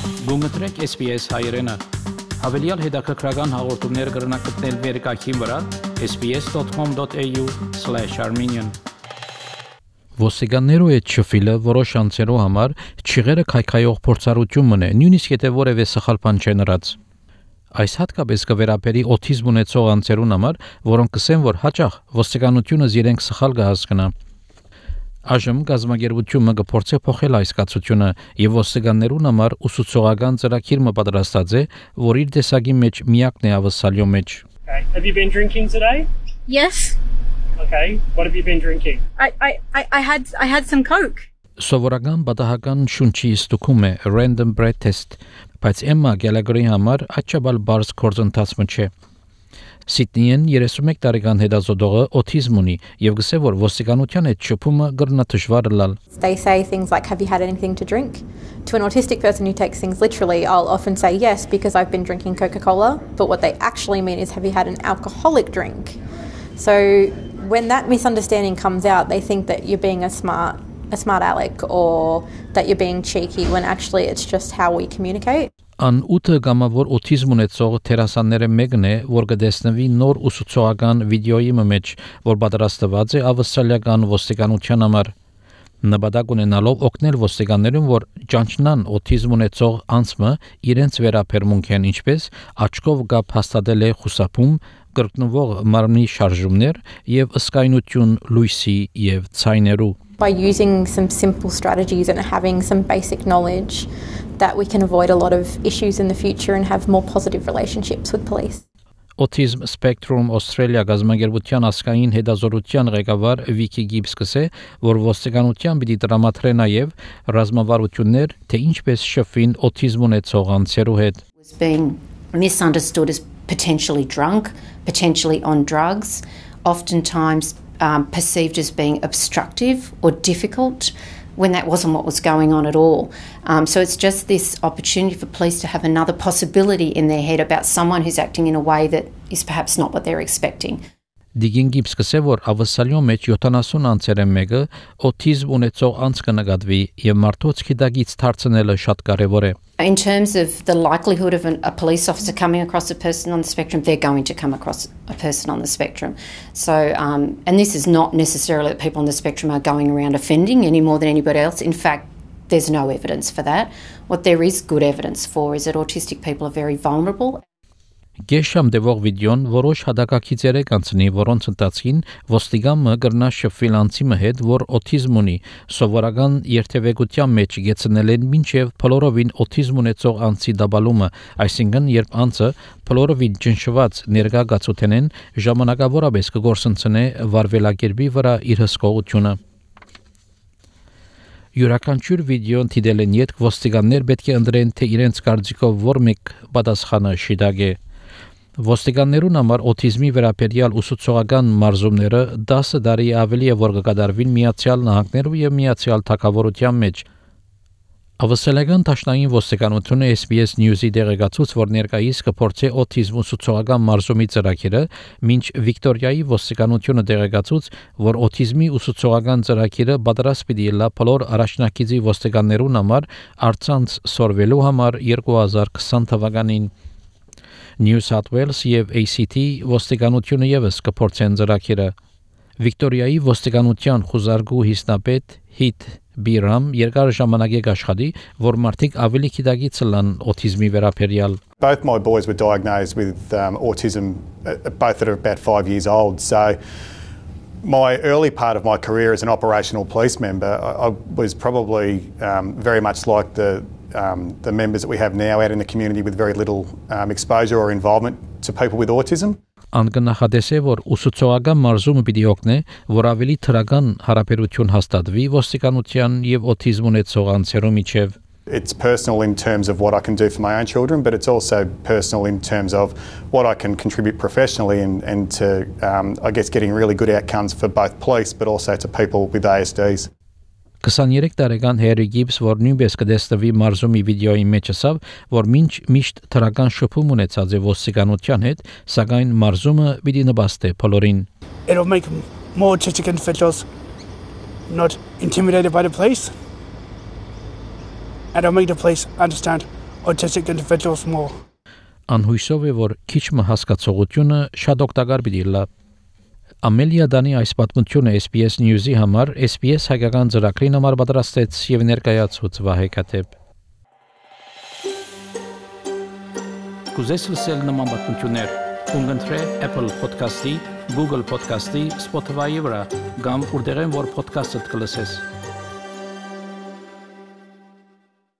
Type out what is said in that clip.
Գումտրեք SPS հայրենը, հավելյալ հետաքրքրական հաղորդումներ կրնակցնել վերկայքին վրա sbs.com.au/armenian Ոստիկաններու հետ շփվելը որոշ անձերու համար չղերը քայքայող փորձառություն մնե, նույնիսկ եթե որևէ սխալ բան չնրած։ Այս հատկապես կվերապերի օթիզմ ունեցող անձերուն համար, որոնք կսեն, որ հաճախ ոստիկանությունը իրենք սխալ կհասկանա։ Այժմ գազագերբությունը կփորձի փոխել այս կացությունը եւ ոստիկաններուն համար ուսուցողական ծրագիր պատրաստած է, որ իր տեսակի մեջ միակն է ավսալյո մեջ։ Have you been drinking today? Yes. Okay. What have you been drinking? I had some Coke. Սովորական պատահական շունչի ստուգում է random breath test, բայց Emma Gallagher-ի համար աչաբալ բարձ կորձընթացը չէ։ Սիդնիեն 31 տարեկան հետազոտողը օթիզմ ունի եւ գսե որ ոստիկանության հետ շփումը գրնա դժվար լալ։ They say things like, have you had anything to drink? To an autistic person who takes things literally, I'll often say yes because I've been drinking Coca-Cola, but what they actually mean is, have you had an alcoholic drink? So when that misunderstanding comes out, they think that you're being a smart aleck or that you're being cheeky when actually it's just how we communicate. An ուտը գամավոր օթիզմ ունեցող թերասանները մեկն է, որ կդեսնվի նոր ուսուցողական վիդեոյի մեջ, որ պատրաստված է ավստրալիական ոստիկանության համար։ Նպատակ ունենալով օգնել ոստիկաններուն, որ ճանչնան օթիզմ ունեցող անձը իրենց վերաբերմունքեն ինչպես աչքով գապ հաստատել է խուսափում, կրկնվող մարմնի շարժումներ եւ ըսկայնություն լույսի եւ ցայներու։ By using some simple strategies and having some basic knowledge that we can avoid a lot of issues in the future and have more positive relationships with police. Autism Spectrum Australia գազագերբության ասկային հետազոտության ղեկավար Վիկի Գիբս կսե, որ ոստիկանության պիտի տրամադրե նաև ռազմավարություններ, թե ինչպես շփվին օթիզմ ունեցող անձերու հետ. Was being misunderstood as potentially drunk, potentially on drugs, oftentimes perceived as being obstructive or difficult when that wasn't what was going on at all. So it's just this opportunity for police to have another possibility in their head about someone who's acting in a way that is perhaps not what they're expecting. Դիգին Գիբս կսե, որ ավսալյո մեջ 70 անձերը մեկը օթիզմ ունեցող անձ կնկատվի եւ մարդոց քիդագից դարձնելը շատ կարեւոր է. In terms of the likelihood of a police officer coming across a person on the spectrum, they're going to come across a person on the spectrum. So, and this is not necessarily that people on the spectrum are going around offending any more than anybody else. In fact, there's no evidence for that. What there is good evidence for is that autistic people are very vulnerable. Գեշամ դեպող վիդեոն որոշ հադակակիցեր է կանցնի, որոնց ընթացքին ոստիգամը գրնա շփվել անձի հետ, որ օթիզմ ունի, սովորական երթևեկության մեջ գեցնել են մինչև փլորովին օթիզմ ունեցող անձի դաբալումը, այսինքն երբ անձը փլորովին ճնշված ներկա գացութենեն ժամանակավորապես կգործընծնե վարվելակերպի վրա իր հսկողությունը։ Յուրաքանչյուր վիդեոն դիտել են յետ ոստիկաններ պետք է ընտրեն, թե իրենց կարծիքով որ մեկ պատասխանը շիդագ է։ Ոստիկաններուն համար օթիզմի վերաբերյալ ուսուցողական մարզումները 10 տարի ավելի է որ կկատարվին Միացյալ Նահանգներու եւ Միացյալ Թագավորության մեջ։ Ավստրալիական դաշնային ոստիկանությունը SBS News-ի դեղեկացուց, որ ներկայիս կփորձի օթիզմ ուսուցողական մարզումի ծրագիրը, մինչ Վիկտորիայի ոստիկանությունը դեղեկացուց, որ օթիզմի ուսուցողական ծրագիրը պատրաստ պիտի լա բոլոր առաջնակիցի ոստիկաններուն համար արցանց սորվելու համար 2020 թվականին։ New South Wales եւ ACT ոստիկանությունը եւս կփորձեն ծրագիրը։ Վիկտորիայի ոստիկանության խոզարգու հիսնապետ Հիթ Բիրամ երկար ժամանակ է աշխատի, որ մարդիկ ավելի գիտակից լան օթիզմի վերաբերյալ։ Both my boys were diagnosed with autism, both at about 5 years old. So my early part of my career as an operational police member, I was probably very much like the members that we have now out in the community with very little exposure or involvement to people with autism. Անգնահատես է, որ ուսուցողական մարզումը պիտի օգնի, որ ավելի թրական հարաբերություն հաստատվի ոստիկանության եւ օթիզմ ունեցող անձերու միջև։ It's personal in terms of what I can do for my own children, but it's also personal in terms of what I can contribute professionally and to, I guess, getting really good outcomes for both police, but also to people with ASDs. 23 տարեկան Harry Gibbs, որ նույնպես կդեսնվի մարզումի վիդեոյի մեջ ասավ, որ միշտ թրական շփում ունեցած է ոստիկանության հետ, սակայն մարզումը պիտի նպաստի բոլորին։ It'll make more autistic individuals not intimidated by the police, and it'll make the police understand autistic individuals more. Անհույսով է, որ քիչ հասկացողությունը շատ օգտակար պիտի լա։ Ամելիա Դանի այս պատմությունը SPS News-ի համար SPS հայկական ծրագրին համար պատրաստեց եւ ներկայացուց Վահե Քաթեփ։ Կուզես լսել նման պատմություններ, կընտրե Apple Podcast-ի, Google Podcast-ի, Spotify-ի վրա, կամ որտեղեն որ podcast-ը կլսես։